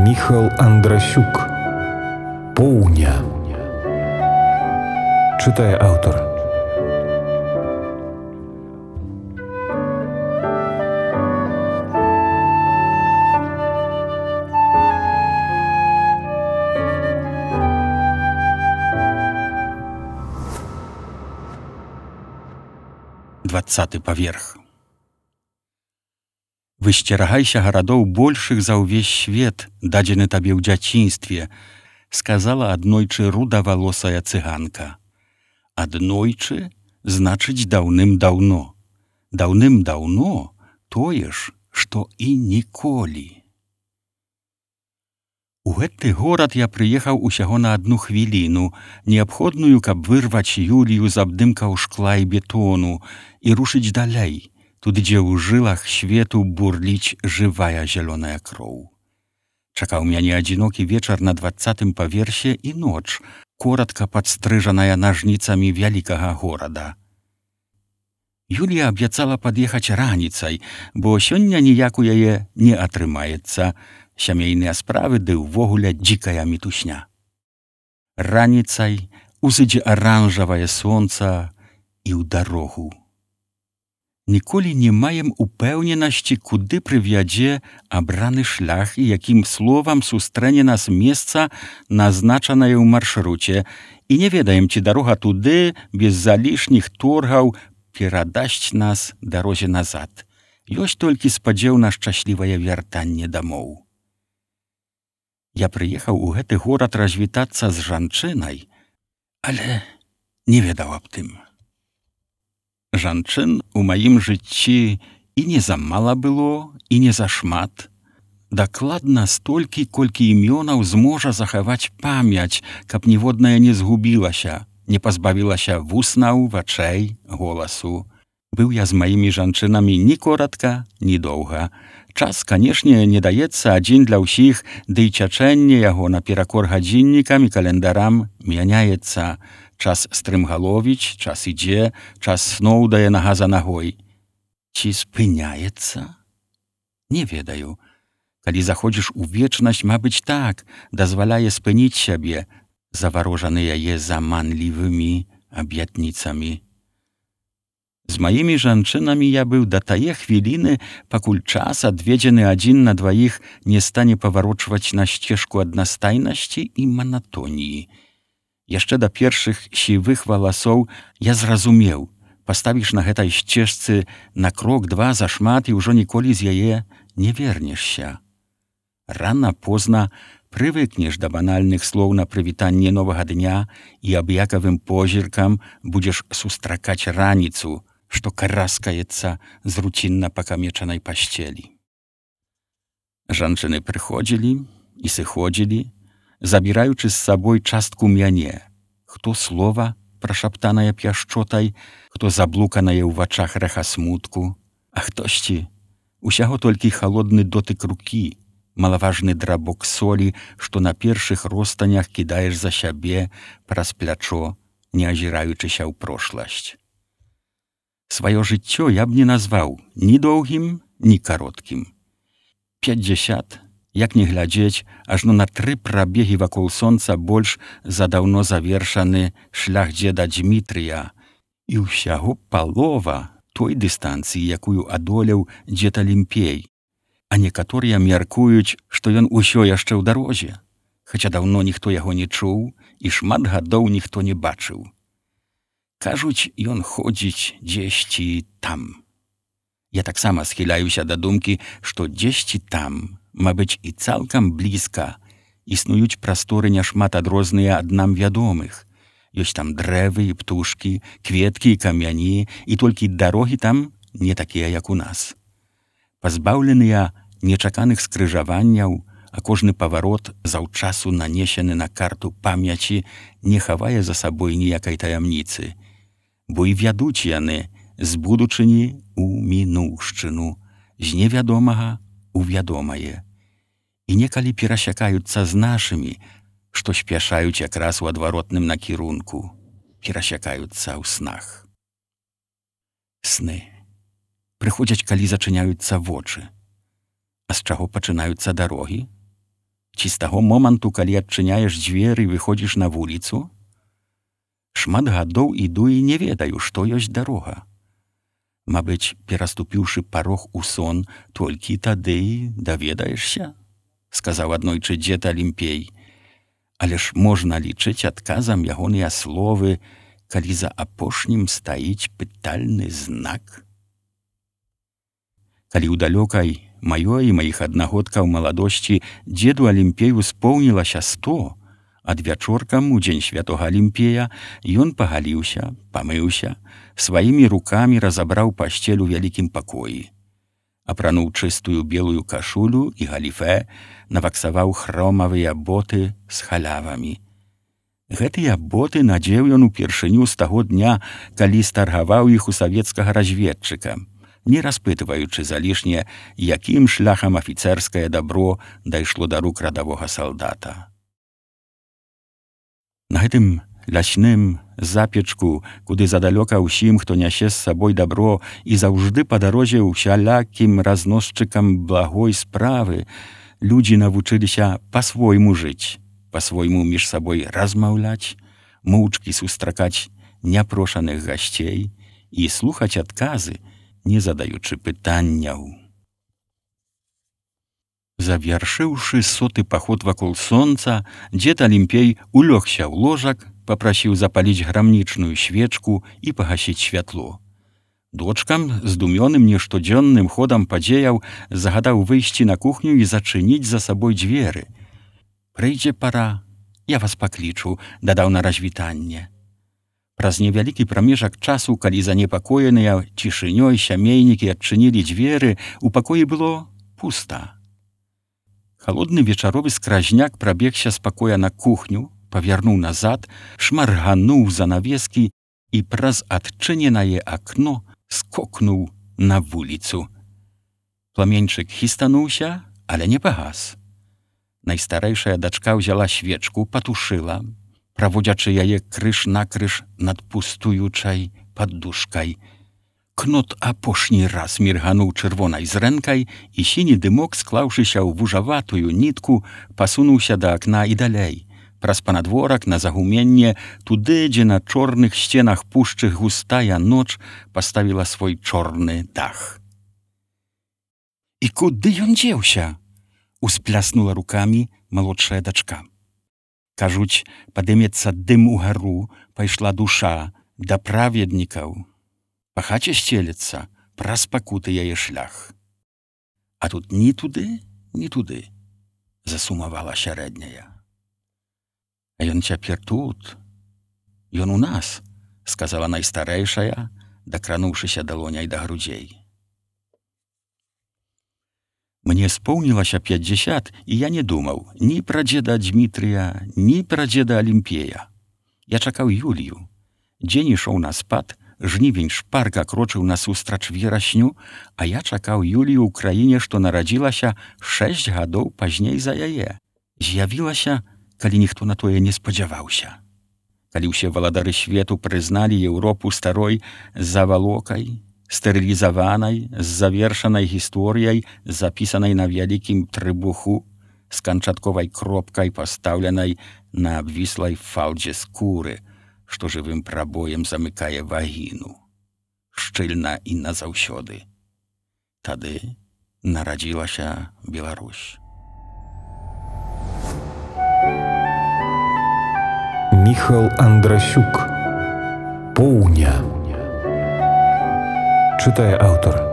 Міхал Андрасюк. Поўня. Чытае аўтар. Двадцаты паверх. Высцерагайся гарадоў большых за ўвесь свет, дадзены табе ў дзяцінстве, сказала аднойчы рудавалосая цыганка. Аднойчы значыць даўным-даўно. Даўным-даўно тое ж, што і ніколі. У гэты горад я прыехаў усяго на адну хвіліну, неабходную, каб вырваць Юлію з абдымкаў шкла і бетону і рушыць далей, туды, дзе ў жылах свету бурліць жывая зялёная кроў. Чакаў мяне адзінокі вечар на 20-тым паверсе і ноч, коратка падстрыжаная нажніцамі вялікага горада. Юлія абяцала пад'ехаць раніцай, бо сёння ніяк у яе не атрымаецца. Сямейныя справы ды ўвогуле дзікая мітусня. Раніцай узыдзе аранжавае сонца і ў дарогу. Ніколі не маем упэўненасці, куды прывядзе абраны шлях і якім словам сустрэне нас месца, назначанае ў маршруце, і не ведаем, ці дарога туды без залішніх торгаў перадасць нас дарозе назад. Ёсць толькі спадзеў на шчаслівае вяртанне дамоў. Я прыехаў у гэты горад развітацца з жанчынай, але не ведаў аб тым. Жанчын у маім жыцці і не замала было, і не зашмат. Дакладна столькі, колькі імёнаў зможа захаваць памяць, каб ніводная не згубілася, не пазбавілася вуснаў, вачэй, голасу. Быў я з маімі жанчынамі ні коратка, ні доўга. Час, канешне, не даецца адзін для ўсіх, ды і цячэнне яго наперакор гадзіннікам і календарам мяняецца. Час стрымгаловіць, час ідзе, час сноў дае нага за нагой. Ці спыняецца? Не ведаю. Калі заходзіш у вечнасць, мабыць, так, дазваляе спыніць сябе, заварожаны яе заманлівымі аб'ятніцамі. З маімі жанчынамі я быў да тае хвіліны, пакуль час, адведзены адзін на дваіх, не стане паварочваць на сцежку аднастайнасці і манатоніі. Яшчэ да першых сівых валасоў я зразумеў, паставіш на гэтай сцежцы на крок-два зашмат і ўжо ніколі з яе не вернешся. Рана-позна прывыкнеш да банальных слоў на прывітанне новага дня і аб'якавым позіркам будзеш сустракаць раніцу, што караскаецца з руцінна пакамечанай пасцелі. Жанчыны прыходзілі і сыходзілі, забіраючы з сабой частку мяне, хто слова, прашаптанае пяшчотай, хто заблуканае ў вачах рэха смутку, а хтосьці усяго толькі халодны дотык рукі, малаважны драбок солі, што на першых ростанях кідаеш за сябе праз плячо, не азіраючыся ў прошласць. Сваё жыццё я б не назваў ні доўгім, ні кароткім. 50, як не глядзець, ажно на 3 прабегі вакол сонца больш за даўно завершаны шлях дзеда Дзмітрыя і ўсяго палова той дыстанцыі, якую адолеў дзед Алімпей. А некаторыя мяркуюць, што ён усё яшчэ ў дарозе, хаця даўно ніхто яго не чуў і шмат гадоў ніхто не бачыў. Кажуць, ён ходзіць дзесьці там. Я таксама схіляюся да думкі, што дзесьці там, мабыць, і цалкам блізка, існуюць прасторы няшмат адрозныя ад нам вядомых. Ёсць там дрэвы і птушкі, кветкі і камяні, і толькі дарогі там не такія, як у нас. Пазбаўленыя нечаканых скрыжаванняў, а кожны паварот заўчасу нанесены на карту памяці не хавае за сабой ніякай таямніцы, бо і вядуць яны з будучыні ў мінуўшчыну, з невядомага ў вядомае, і некалі перасякаюцца з нашымі, што спяшаюць якраз у адваротным накірунку, перасякаюцца ў снах. Сны прыходзяць, калі зачыняюцца вочы. А з чаго пачынаюцца дарогі? Ці з таго моманту, калі адчыняеш дзверы і выходзіш на вуліцу? Шмат гадоў іду і не ведаю, што ёсць дарога. Мабыць, пераступіўшы парог у сон, толькі тады даведаешся, сказаў аднойчы дзед Алімпей. Але ж можна лічыць адказам ягоныя словы, калі за апошнім стаіць пытальны знак. Калі ў далёкай маёй і маіх аднагодкаў маладосці дзеду Алімпею споўнілася 100, ад вячоркам у дзень святога Алімпея ён пагаліўся, памыўся, сваімі рукамі разабраў пасцель у вялікім пакоі. Апрануў чыстую белую кашулю і галіфе, наваксаваў хромавыя боты з халявамі. Гэтыя боты надзеў ён упершыню з таго дня, калі старгаваў іх у савецкага разведчыка, не распытваючы залішне, якім шляхам афіцэрскае дабро дайшло да рук радавога салдата. На гэтым лясным запечку, куды задалёка ўсім, хто нясе з сабой дабро і заўжды па дарозе ўсялякім разносчыкам благой справы, людзі навучыліся па-свойму жыць, па-свойму між сабой размаўляць, моўчкі сустракаць няпрошаных гасцей і слухаць адказы, не задаючы пытанняў. Завяршыўшы 100-ы паход вакол сонца, дзед Алімпей улёгся ў ложак, папрасіў запаліць грамнічную свечку і пагасіць святло. Дочкам, здумёным нештодзённым ходам падзеяў, загадаў выйсці на кухню і зачыніць за сабой дзверы. «Прыйдзе пара, я вас паклічу», дадаў на развітанне. Праз невялікі прамежак часу, калі занепакоеныя цішынёй сямейнікі адчынілі дзверы, у пакоі было пуста. Халодны вечаровы скразняк прабегся з пакоя на кухню, павярнуў назад, шмаргануў занавескі і праз адчыненае акно скокнуў на вуліцу. Пламеньчык хістануўся, але не пагас. Найстарэйшая дачка ўзяла свечку, патушыла, праводзячы яе крыж-накрыж над пустуючай паддушкай. Кнот апошні раз міргануў чырвонай зрэнкай, і сіні дымок, склаўшыся ў вужаватую нітку, пасунуўся да акна і далей, праз панадворак на загуменне, туды, дзе на чорных сценах пушчы густая ноч паставіла свой чорны дах. «І куды ён дзеўся?» — успляснула рукамі малодшая дачка. «Кажуць, падымецца дым угару, пайшла душа да праведнікаў. Па хаце сцелецца, праз пакуты яе шлях. А тут ні туды, ні туды», — засумавала сярэдняя. «А ён цяпер тут, ён у нас», — сказала найстарэйшая, дакрануўшыся далоняй да грудзей. Мне споўнілася 50, і я не думаў ні пра дзеда Дмітрыя, ні пра дзеда Алімпея. Я чакаў Юлію. Дзень ішоў на спад, жнівень шпарка крочыў насустрач верасню, а я чакаў Юлію ў краіне, што нарадзілася 6 гадоў пазней за яе. З'явілася, калі ніхто на тое не спадзяваўся. Калі ўсе валадары свету прызналі Еўропу старой завалокай, стэрылізаванай, з завершанай гісторыяй, запісанай на вялікім трыбуху, з канчатковай кропкай, пастаўленай на абвіслай фалдзе скуры, што жывым прабоем замыкае вагіну, шчыльна і назаўсёды. Тады нарадзілася Беларусь. Міхал Андрасюк. Поўня. Читає автор.